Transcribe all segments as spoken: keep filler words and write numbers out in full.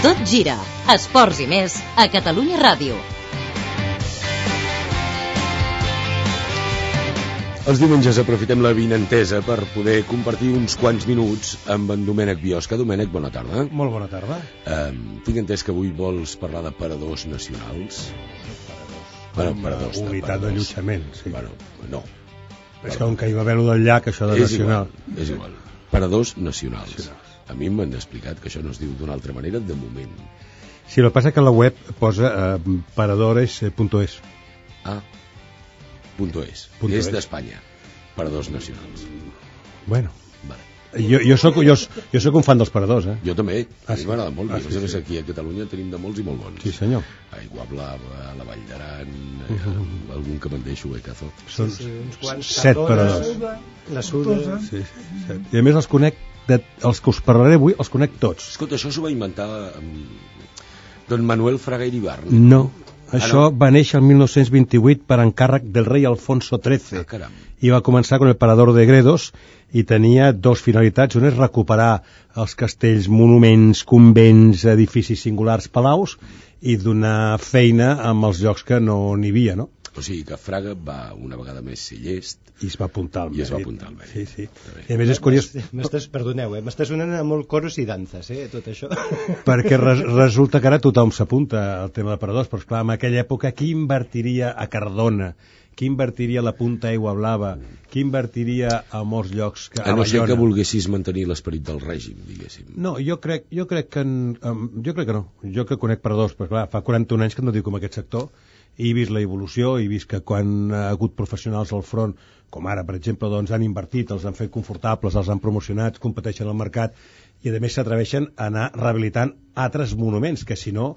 Tot gira. Esports i més a Catalunya Ràdio. Els diumenges aprofitem la vinentesa per poder compartir uns quants minuts amb en Domènec Biosca. Domènec, bona tarda. Molt bona tarda. Um, tinc entès que avui vols parlar de paradors nacionals. Bueno, paradors. Unitat d'allotjament, sí. Bueno, no. És que com que hi va haver-ho del llac, això de és nacional. Igual, és igual. Paradors nacionals. nacionals. A mi m'han explicat que això no es diu d'una altra manera de moment. Sí, el que passa que a la web posa eh, paradores punto es. Ah, punto es. Punto és es. d'Espanya. Paradors nacionals. Bueno. Vale. Jo, jo, soc, jo, jo soc un fan dels paradors, eh? Jo també. Ah, a mi sí? m'agrada molt. Ah, I sí, a més a més sí. aquí a Catalunya tenim de molts i molt bons. Sí, senyor. Aigua Blava, la Vall d'Aran, Uh -huh. eh, algun que me'n deixo, eh, Cazo? Són sí, uns quants. set paradors. La Suda. Sí, sí, set. I a més els conec, de, els que us parlaré avui, els conec tots. Escolta, això s'ho va inventar um, don Manuel Fraga Iribarne. No, això Ah, no? va néixer el mil nou-cents vint-i-vuit per encàrrec del rei Alfonso trece. Ah, caram. I va començar con el Parador de Gredos i tenia dos finalitats. Una és recuperar els castells, monuments, convents, edificis singulars, palaus, i donar feina amb els llocs que no n'hi havia, no? O sigui que Fraga va una vegada més ser llest I es va apuntar al i es va mèrit. apuntar al mèrit. Sí, sí. Està bé. I a més és curiós M'estàs, perdoneu, eh? M'estàs sonant a molt coros i danses, eh? Tot això. perquè res, resulta que ara tothom s'apunta al tema de paradors, però esclar, en aquella època qui invertiria a Cardona? Qui invertiria a la Punta Aigua Blava? Qui invertiria a molts llocs? Que, A no ser Bayona? que volguessis mantenir l'esperit del règim, diguéssim. No, jo crec, jo crec que en, um, jo crec que no. Jo que conec paradors, però clar, fa quaranta-un anys que no dic com aquest sector, i he vist la evolució, i he vist que quan ha hagut professionals al front, com ara, per exemple, doncs han invertit, els han fet confortables, els han promocionat, competeixen al mercat, i a més s'atreveixen a anar rehabilitant altres monuments, que si no,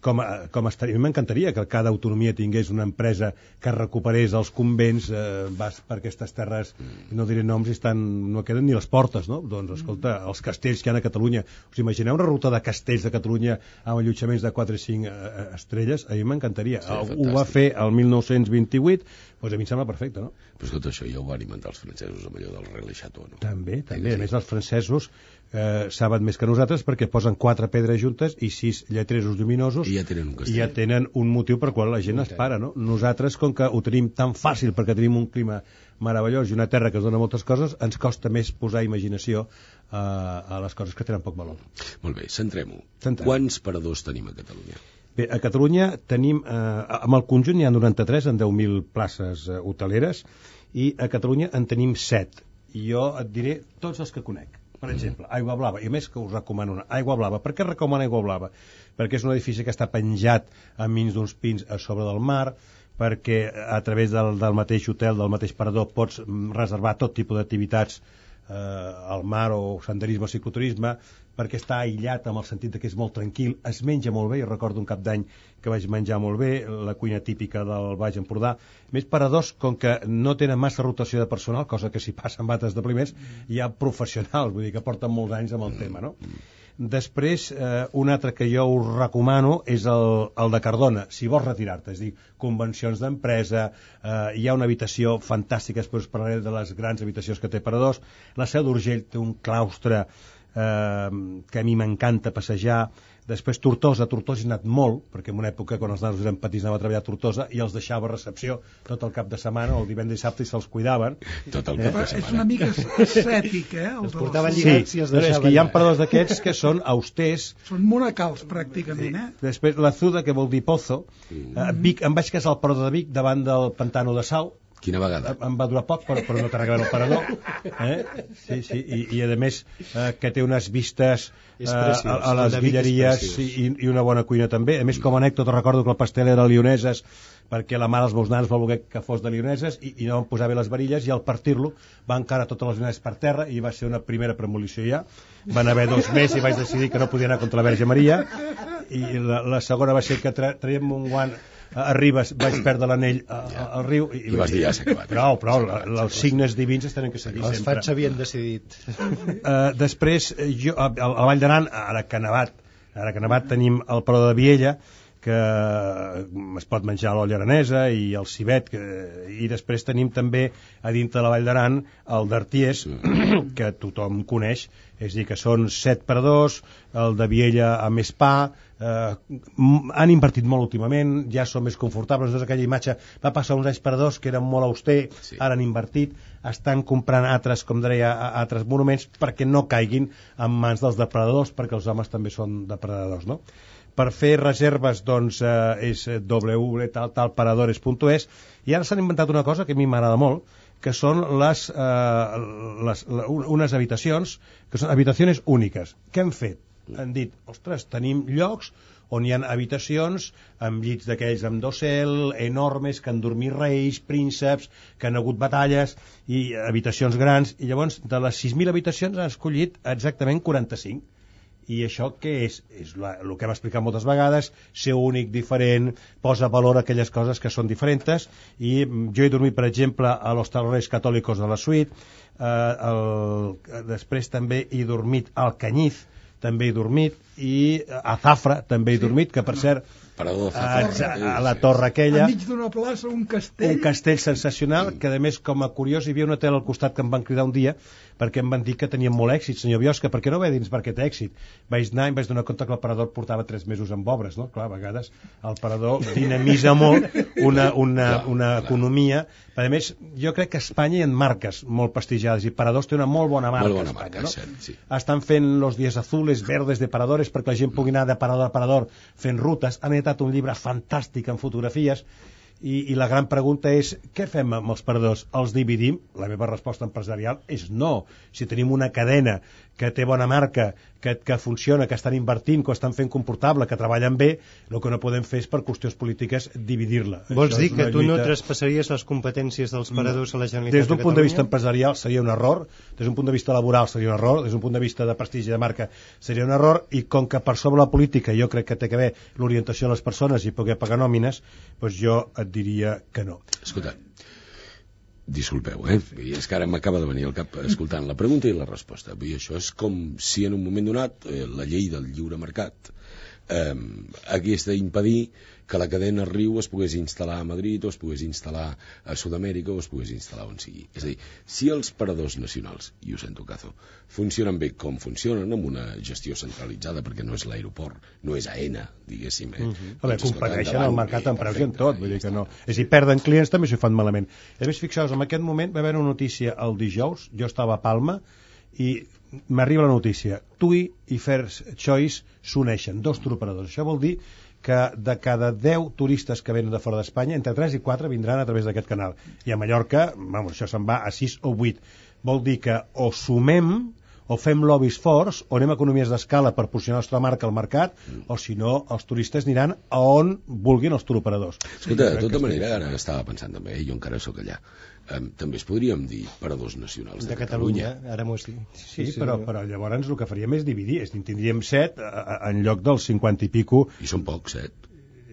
com, a, com a, a mi m'encantaria que cada autonomia tingués una empresa que recuperés els convents, eh, vas per aquestes terres, no diré noms, i estan, no queden ni les portes, no? Doncs, escolta, els castells que hi ha a Catalunya, us imagineu una ruta de castells de Catalunya amb allotjaments de quatre o cinc eh, estrelles? A mi m'encantaria. Sí, Ho va fer el mil nou-cents vint-i-vuit, doncs a mi em sembla perfecte, no? Però escolta, això ja ho van inventar els francesos amb allò del Relais Chateau, no? També, també. Sí, A més, els francesos eh, saben més que nosaltres perquè posen quatre pedres juntes i sis lletreros lluminosos I ja tenen un castell. i ja tenen un motiu per qual la gent es para, no? Nosaltres, com que ho tenim tan fàcil perquè tenim un clima meravellós i una terra que ens dona moltes coses, ens costa més posar imaginació eh, a les coses que tenen poc valor. Molt bé, centrem-ho. Centrem. Quants paradors tenim a Catalunya? Bé, a Catalunya tenim, eh, amb el conjunt n'hi ha noranta-tres en deu mil places eh, hoteleres, i a Catalunya en tenim set. I jo et diré tots els que conec. Per exemple, Aigua Blava, i a més que us recomano una. Aigua Blava, per què recomano Aigua Blava? Perquè és un edifici que està penjat enmig d'uns pins a sobre del mar, perquè a través del, del mateix hotel, del mateix parador, pots reservar tot tipus d'activitats eh, al mar o senderisme o cicloturisme, perquè està aïllat amb el sentit que és molt tranquil, es menja molt bé, jo recordo un cap d'any que vaig menjar molt bé, la cuina típica del Baix Empordà. A més, paradors, com que no tenen massa rotació de personal, cosa que si passa amb altres establiments, hi ha professionals, vull dir que porten molts anys amb el tema, no? Després, eh, un altre que jo us recomano és el, el de Cardona, si vols retirar-te, és a dir, convencions d'empresa, eh, hi ha una habitació fantàstica, després us parlaré de les grans habitacions que té paradors. La Seu d'Urgell té un claustre eh, que a mi m'encanta passejar. Després Tortosa, Tortosa he anat molt, perquè en una època quan els nanos eren petits anava a treballar a Tortosa i els deixava a recepció tot el cap de setmana, o el divendres i dissabte, i se'ls cuidaven. Tot el cap de És una setmana. mica ascètic, eh? Els portaven Sí, lligats i els però és deixaven. que hi ha paradors d'aquests que són austers. Són monacals, pràcticament, eh? Després la Zuda, que vol dir pozo. A Vic, em vaig casar al parador de Vic davant del pantano de Sau. Quina vegada? Em va durar poc, però, però no t'ha regalat el parador. Eh? Sí, sí, i, i a més eh, que té unes vistes eh, a, a les guilleries i, i una bona cuina també. A més, com a anècdota, recordo que el pastel era lioneses, perquè la mare dels meus nans va voler que fos de lioneses, i, i no van posar bé les varilles, i al partir-lo va encara totes les lioneses per terra, i va ser una primera premolició ja. Van haver dos mesos i vaig decidir que no podia anar contra la Verge Maria, i la, la segona va ser que tra traiem un guant a Ribes, vaig perdre l'anell al riu i, I vas dir, ja s'ha acabat. Prou, prou, la, els signes divins es tenen que seguir Els sempre. fats havien decidit. Uh, després, jo, a, a la Vall d'Aran, ara que ha nevat, ara que ha nevat tenim el Parador de Viella, que es pot menjar l'olla aranesa i el civet, que, i després tenim també a dintre de la Vall d'Aran el d'Arties, que tothom coneix, és a dir, que són set per dos, el de Viella a més pa, eh, han invertit molt últimament, ja són més confortables, no és aquella imatge, va passar uns anys per dos que eren molt auster, sí. Ara han invertit, estan comprant altres, com deia, altres monuments perquè no caiguin en mans dels depredadors, perquè els homes també són depredadors, no? Per fer reserves, doncs, eh, és w w w punt talparadores punt es, i ara s'han inventat una cosa que a mi m'agrada molt, que són les, eh, les, unes habitacions, que són habitacions úniques. Què han fet? Han dit, ostres, tenim llocs on hi ha habitacions amb llits d'aquells amb dosel, enormes, que han dormit reis, prínceps, que han hagut batalles, i habitacions grans, i llavors de les sis mil habitacions han escollit exactament quaranta-cinc. I això què és? És la, el que hem explicat moltes vegades, ser únic, diferent, posa valor a aquelles coses que són diferents, i jo he dormit, per exemple, a los Talleres Catòlicos de la Suite, eh, el, després també he dormit al Cañiz, també he dormit, i a Zafra també he dormit, que per cert, a, a, a la torre aquella, enmig d'una plaça, un castell, un castell sensacional, que a més, com a curiós, hi havia una tele al costat que em van cridar un dia perquè em van dir que tenien molt èxit. Senyor Biosca, per què no ve dins per aquest èxit? Vaig anar i em vaig donar compte que el parador portava tres mesos amb obres, no? Clar, a vegades el parador dinamitza molt una, una, una economia. A més, jo crec que a Espanya hi ha marques molt prestigiades, i Paradors té una molt bona marca, molt bona a Espanya, marca, no? cert, sí. Estan fent los días azules, verdes de Paradores, perquè la gent pugui anar de parador a parador fent rutes. Han editat un llibre fantàstic en fotografies, i, i la gran pregunta és, què fem amb els paradors? Els dividim? La meva resposta empresarial és no. Si tenim una cadena que té bona marca, que, que funciona, que estan invertint, que ho estan fent comportable, que treballen bé, el que no podem fer és, per qüestions polítiques, dividir-la. Vols Això dir que tu lluita... no traspassaries les competències dels paradors a la Generalitat de Catalunya? Des d'un punt de vista empresarial seria un error, des d'un punt de vista laboral seria un error, des d'un punt de vista de prestigi de marca seria un error, i com que per sobre la política jo crec que té que haver l'orientació de les persones i poder pagar nòmines, doncs jo et diria que no. Escolta, disculpeu, eh? És que ara m'acaba de venir al cap escoltant la pregunta i la resposta. I això és com si en un moment donat eh, la llei del lliure mercat eh, hagués d'impedir que la cadena Riu es pogués instal·lar a Madrid, o es pogués instal·lar a Sud-amèrica, o es pogués instal·lar on sigui. És a dir, si els paradors nacionals, i ho sento caso, funcionen bé com funcionen, amb una gestió centralitzada, perquè no és l'aeroport, no és AENA, diguéssim, eh? Uh-huh. A veure, competeixen al mercat en preus i en tot, vull dir que no. És a dir, perden clients també s'ho fan malament. A més, fixeu-vos, en aquest moment va haver una notícia el dijous, jo estava a Palma, i m'arriba la notícia, TUI i First Choice s'uneixen, dos turoperadors. Això vol dir que de cada deu turistes que venen de fora d'Espanya, entre tres i quatre vindran a través d'aquest canal. I a Mallorca, vamos, això se'n va a sis o vuit. Vol dir que o sumem, o fem lobbies forts, o anem a economies d'escala per posicionar la nostra marca al mercat, o si no, els turistes aniran a on vulguin els turoperadors. Escolta, de tota manera, ara estava pensant també, jo encara sóc allà, um, també es podríem dir paradors nacionals de, de Catalunya. Catalunya. Ara m'ho has dit. Sí, sí, però, però llavors el que faríem és dividir, és dir, tindríem set en lloc dels cinquanta i pico. I són pocs, set.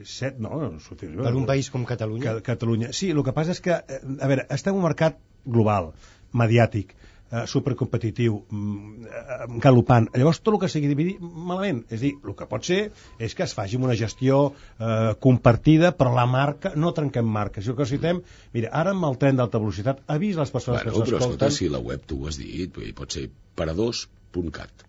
Set, no, no per un país com Catalunya. Catalunya. Sí, el que passa és que, a veure, estem en un mercat global, mediàtic, eh, supercompetitiu, mm, galopant. Llavors, tot el que sigui dividir, malament. És a dir, el que pot ser és que es faci amb una gestió eh, compartida, però la marca, no trenquem marques. Si el que necessitem, mira, ara amb el tren d'alta velocitat, avís les persones bueno, que s'escolten... Però escolta, si la web tu ho has dit, pot ser paradors punt cat.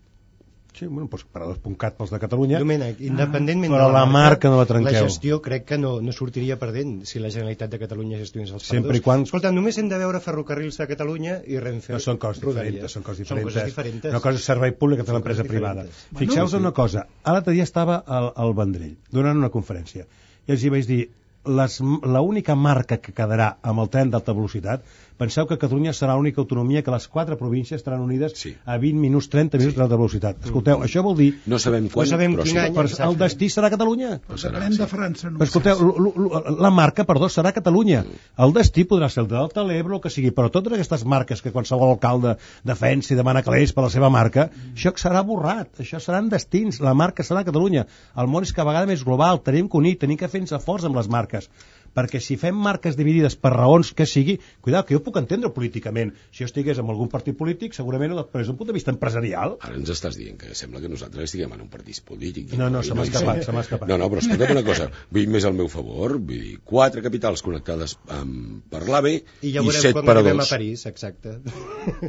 Sí, bueno, doncs paradors punt cat pels de Catalunya. Domènec, independentment però de la, la marca, marca no la trenqueu. La gestió crec que no, no sortiria perdent si la Generalitat de Catalunya gestionés els Sempre paradors. I quan... Escolta, només hem de veure ferrocarrils de Catalunya i Renfe. No són coses Rodalies. diferents, són coses Són diferents. coses diferents. Una cosa és servei públic, que és l'empresa privada. Bueno, fixeu-vos sí. una cosa, l'altre dia estava al, al Vendrell, donant una conferència, i els hi vaig dir, l'única marca que quedarà amb el tren d'alta velocitat, penseu que Catalunya serà l'única autonomia que les quatre províncies estaran unides sí. a vint minuts, trenta minuts sí. d'alta velocitat. Escolteu, mm. això vol dir... No sabem quan, no sabem però quin sí. any, per, el destí serà Catalunya. Depenem sí. de França. No escolteu, l, l, la marca, perdó, serà Catalunya. El destí podrà ser el Delta, l'Ebre, el que sigui, però totes aquestes marques que qualsevol alcalde defensa i demana calés per la seva marca, mm. això serà borrat, això seran destins, la marca serà Catalunya. El món és cada vegada més global, tenim que unir, tenim que fer-nos forts amb les marques. perquè si fem marques dividides per raons que sigui, cuidado, que jo puc entendre políticament, si jo estigués en algun partit polític, segurament des d'un punt de vista empresarial. Ara ens estàs dient que sembla que nosaltres estiguem en un partit polític. No, no, se m'ha escapat, se m'ha escapat. No, no, però escolta'm una cosa, vull dir més al meu favor, vull dir, quatre capitals connectades amb, per l'AVE i, I ja i set quan per a arribem dos. a París, exacte.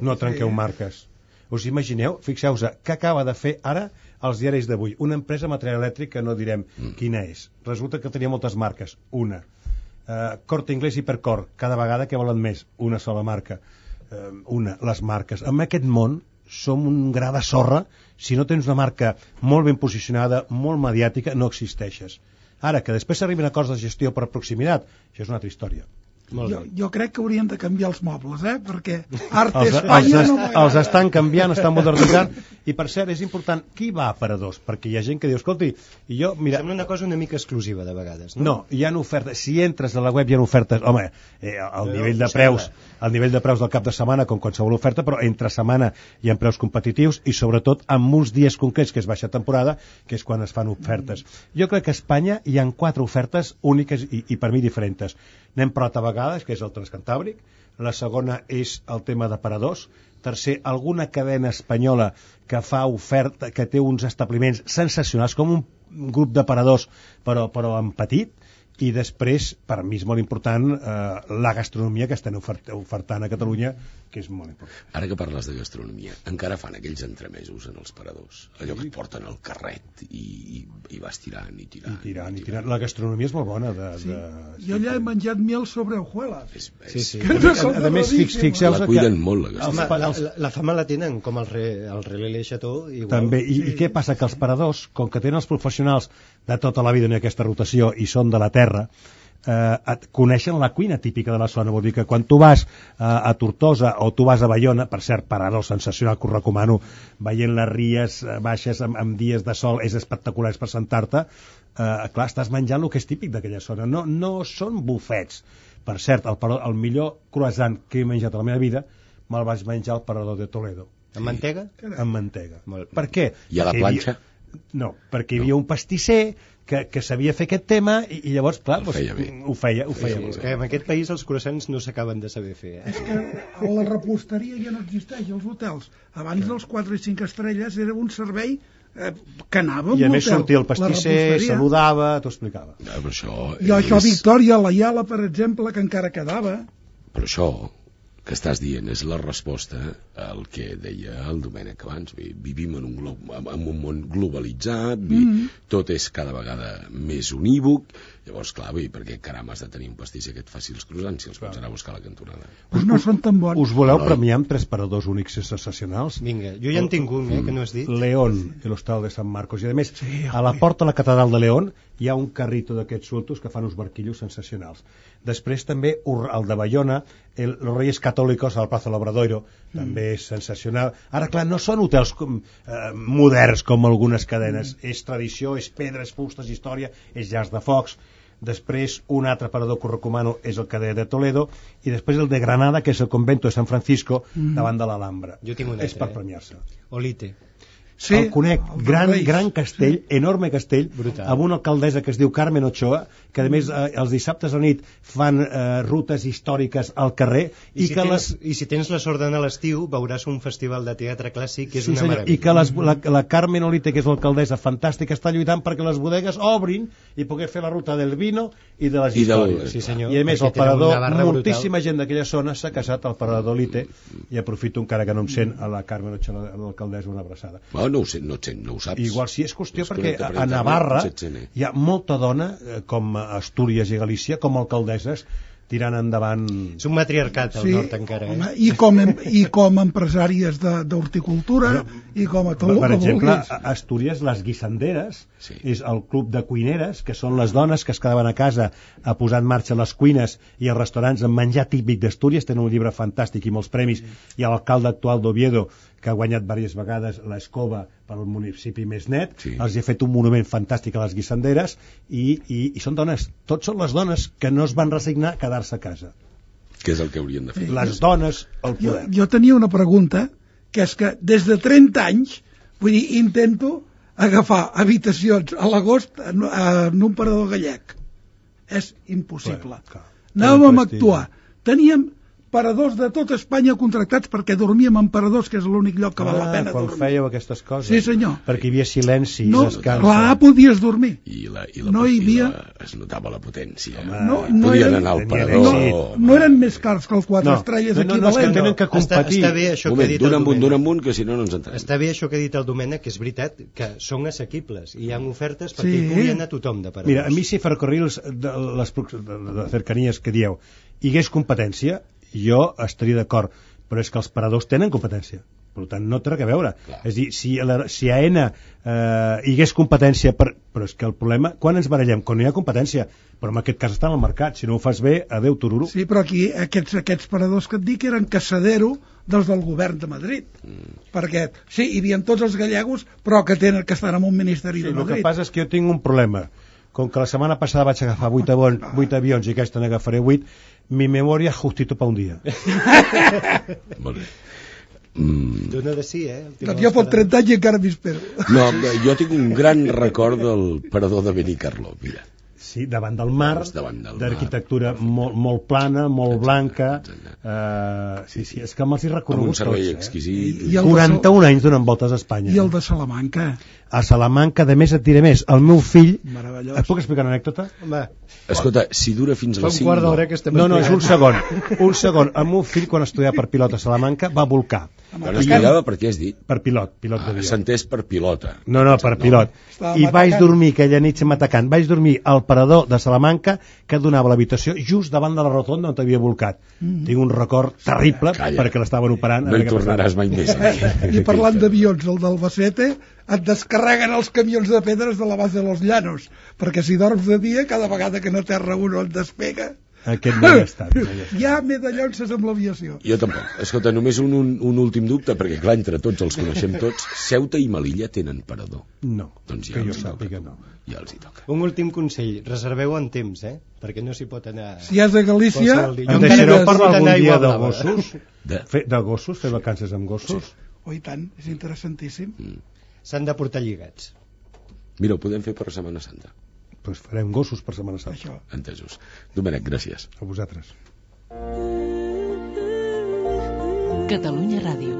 No trenqueu marques. Us imagineu, fixeu-vos, què acaba de fer ara els diaris d'avui? Una empresa de material elèctric que no direm mm. quina és. Resulta que tenia moltes marques. Una. Uh, Corte Inglés i Hipercor. Cada vegada que volen més. Una sola marca. Uh, una. Les marques. En aquest món som un gra de sorra. Si no tens una marca molt ben posicionada, molt mediàtica, no existeixes. Ara, que després s'arribin a acords de gestió per proximitat, això és una altra història. Jo, jo crec que haurien de canviar els mobles, eh? Perquè Arte els, Espanya els, no est, els estan canviant, estan modernitzant, i per cert, és important, qui va a aparadors? Perquè hi ha gent que diu, escolti, i jo, mira... Sembla una cosa una mica exclusiva, de vegades, no? No, hi ha ofertes, si entres a la web hi ha ofertes, home, eh, el nivell de preus, el nivell de preus del cap de setmana, com qualsevol oferta, però entre setmana hi ha preus competitius, i sobretot amb uns dies concrets, que és baixa temporada, que és quan es fan ofertes. Jo crec que a Espanya hi ha quatre ofertes úniques i, i per mi diferents. N'hem parlat a vegades, que és el Transcantàbric, la segona és el tema d'aparadors, tercer, alguna cadena espanyola que fa oferta, que té uns establiments sensacionals, com un grup d'aparadors, però, però en petit, i després, per mi és molt important, eh, la gastronomia que estan ofert ofertant a Catalunya, que és molt important. Ara que parles de gastronomia, encara fan aquells entremesos en els paradors, allò que et porten el carret i, i, i vas tirant i tirant. I tirant, i tirant. La gastronomia és molt bona. De, sí. de... Jo allà he menjat miel sobre hojuelas. És, és... Sí, sí. Que no a, a més, fix, fixeu-vos la cuiden que... molt, la Home, gastronomia. la, la, la fama la tenen, com el, re, el Relais Le Chateau. Igual. També, i, Sí. i què passa? Que els paradors, com que tenen els professionals de tota la vida en aquesta rotació i són de la terra, eh, et coneixen la cuina típica de la zona. Vol dir que quan tu vas eh, a Tortosa o tu vas a Baiona, per cert, parador sensacional que us recomano, veient les ries baixes amb, amb dies de sol, és espectacular, és per sentar-te, eh, clar, estàs menjant el que és típic d'aquella zona. No, no són bufets. Per cert, el, el millor croissant que he menjat a la meva vida me'l vaig menjar al parador de Toledo. Amb mantega? Amb mantega. Molt. Per què? I a la Perquè hi planxa? havia... No, perquè hi havia un pastisser que, que sabia fer aquest tema i, i llavors, clar, Ho doncs, feia bé. ho feia, ho feia Sí, molt és bé. que en aquest país els croissants no s'acaben de saber fer. Eh? És que la reposteria ja no existeix als hotels. Abans dels quatre i cinc estrelles era un servei eh, que anava I a amb més l'hotel. sortia el La pastisser, reposteria. saludava, t'ho explicava. No, però això I això a és... Victòria, a la Iala, per exemple, que encara quedava. Però això que estàs dient és la resposta al que deia el Domènec abans. Vivim en un, glob, en un món globalitzat, mm. tot és cada vegada més unívoc. Llavors, clar, bé, perquè caram has de tenir un pastisser que et faci els croissants si els pots anar a buscar a la cantonada. Pues no són tan bons. Us voleu No. premiar amb tres paradors únics i sensacionals? Vinga, jo ja en tinc un, eh, que no has dit. León, el hostal de Sant Marcos. I a més, Sí, a la porta de la catedral de León hi ha un carrito d'aquests sultos que fan uns barquillos sensacionals. Després també el de Baiona, el, los Reyes Católicos al Plaza Labradoiro, mm. també és sensacional. Ara, clar, no són hotels com, eh, moderns com algunes cadenes. Mm. És tradició, és pedres, fustes, història, és llars de focs. Després un altre parador que us recomano és el que deia de Toledo, i després el de Granada, que és el convento de San Francisco, mm. davant de l'Alhambra. Jo tinc un és altre, per eh? premiar-se. Olite. Sí, el conec, el gran, Reis. gran castell, sí. enorme castell, Brutal. amb una alcaldessa que es diu Carmen Ochoa, que a més eh, els dissabtes a la nit fan eh, rutes històriques al carrer, I, i, si que tens, les... I si tens la sort d'anar a l'estiu veuràs un festival de teatre clàssic que és Sí, una senyor, meravella. i que les, la, la Carmen Olite, que és l'alcaldessa fantàstica, està lluitant perquè les bodegues obrin i poder fer la ruta del vino i de les I del- històries. Sí, senyor, I a més, el perquè tenen parador, una barra moltíssima gent d'aquella zona s'ha casat al parador Olite, i aprofito encara que no em sent a la Carmen Ochoa, a l'alcaldessa, una abraçada. Bueno, no ho sé, no et sent, no ho saps. Igual sí, és qüestió Es perquè connecta per a internet, Navarra potser et sent, eh? hi ha molta dona, eh, com a Astúries i Galícia, com a alcaldesses, tirant endavant... És un matriarcat al Sí, nord encara. Eh? home, i, com, em- i com empresàries de- d'horticultura i com a tot el Per que exemple, vulguis. a Astúries, les guisanderes, Sí. és el club de cuineres, que són les dones que es quedaven a casa a posar en marxa les cuines i els restaurants amb menjar típic d'Astúries. Tenen un llibre fantàstic i molts premis, i l'alcalde actual d'Oviedo, que ha guanyat diverses vegades l'Escova per al municipi més net, Sí. els ha fet un monument fantàstic a les guisanderes, i, i, i són dones, tots són les dones que no es van resignar a quedar-se a casa. Què és el que haurien de fer? Les dones al Jo, poder. jo tenia una pregunta, que és que des de trenta anys, vull dir, intento agafar habitacions a l'agost en, en un parador gallec. és impossible. Clar, clar. Anàvem a actuar. Teníem paradors de tota Espanya contractats perquè dormíem en paradors, que és l'únic lloc que val la pena quan dormir. fèieu aquestes coses. Sí, senyor. Perquè hi havia silenci, No, descans. clar, podies dormir. I la, i la, No hi i havia- la, es notava la potència. No, no Podien eren- anar al tenien parador. èxit. No eren més cars que els quatre No, estrelles no, no, no, és que equivalents. tenen que Està, competir. està bé això que ha Moment, dit d'un el amunt, d'un Domènec. amunt, que si no no ens entenem. Està bé això que ha dit el Domènec, que és veritat, que són assequibles i hi ha ofertes perquè Sí. hi pugui anar tothom de paradors. Mira, a mi si ferrocarrils de les prox- de, de cercanies que dieu hi hagués competència, jo estaria d'acord, però és que els paradors tenen competència, per tant no té res a veure. Clar. És a dir, si a, la, si a Aena eh, hi hagués competència, per, però és que el problema, quan ens barallem? Quan no hi ha competència, però en aquest cas està en el mercat, si no ho fas bé, adeu tururu. Sí, però aquí aquests, aquests paradors que et dic eren casadero dels del govern de Madrid. Mm. Perquè, sí, hi havia tots els gallegos, però que tenen que estar en un ministeri Sí, de el que Madrid. passa és que jo tinc un problema. Com que la setmana passada vaig agafar vuit avions, vuit avions i aquesta n'agafaré vuit, mi memòria justito pa un dia. Molt bé. Mm, Dona de sí, eh? El tema Doncs dels jo fot paradors. trenta anys i encara m'hi espero. no, jo tinc un gran record del parador de Benicarló, mira. Sí, davant del mar, Doncs davant del mar. d'arquitectura molt, molt plana, molt Exacte, blanca. exacte. Uh, sí, sí, és que me'ls hi Amb reconegut un servei tots, eh? exquisit. I el de quaranta-un anys donant voltes a Espanya. I el de Salamanca. A Salamanca, de més et diré més, el meu fill... Meravellós. Et puc explicar una anècdota? Home, Escolta, si dura fins a fa les un cinc... quart d'hora que estem No, no, és un explicant. segon. Un segon. El meu fill, quan estudiava per pilot a Salamanca, va volcar. Quan estudiava, per què has dit? Per pilot, pilot Ah, d'avió. S'ha entès per pilota. No, no, per pilot. Estava I vaig matacant. dormir aquella nit matacant. Vaig dormir al parador de Salamanca que donava l'habitació just davant de la rotonda on t'havia volcat. Mm. Tinc un record terrible Calla. perquè l'estaven operant. a No veure hi què passava. tornaràs mai més. Eh, I parlant d'avions, el d'Albacete, et descarreguen els camions de pedres de la base de los Llanos, perquè si dorms de dia, cada vegada que no terra uno et despega, Aquest no hi ha estat. No hi ha estat. hi ha medallonces amb l'aviació. Jo tampoc. Escolta, només un, un, un últim dubte, perquè clar, entre tots els coneixem tots. Ceuta i Melilla tenen parador. No, Doncs ja que jo els hi toca. sàpiga no. Ja els hi toca. Un últim consell, reserveu en temps, eh? Perquè no s'hi pot anar... Si has de Galícia, Qualsevol dia. Em Jo deixareu encara parlar necessito algun anar a dia Aigua de Blava. gossos? De... Fer, de gossos? Fer vacances amb gossos? oh, i tant, és interessantíssim. S'han de portar lligats. Mira, ho podem fer per Setmana Santa. Doncs pues farem gossos per Setmana Santa. Això. Entesos. Domènec, gràcies. A vosaltres. Catalunya Ràdio.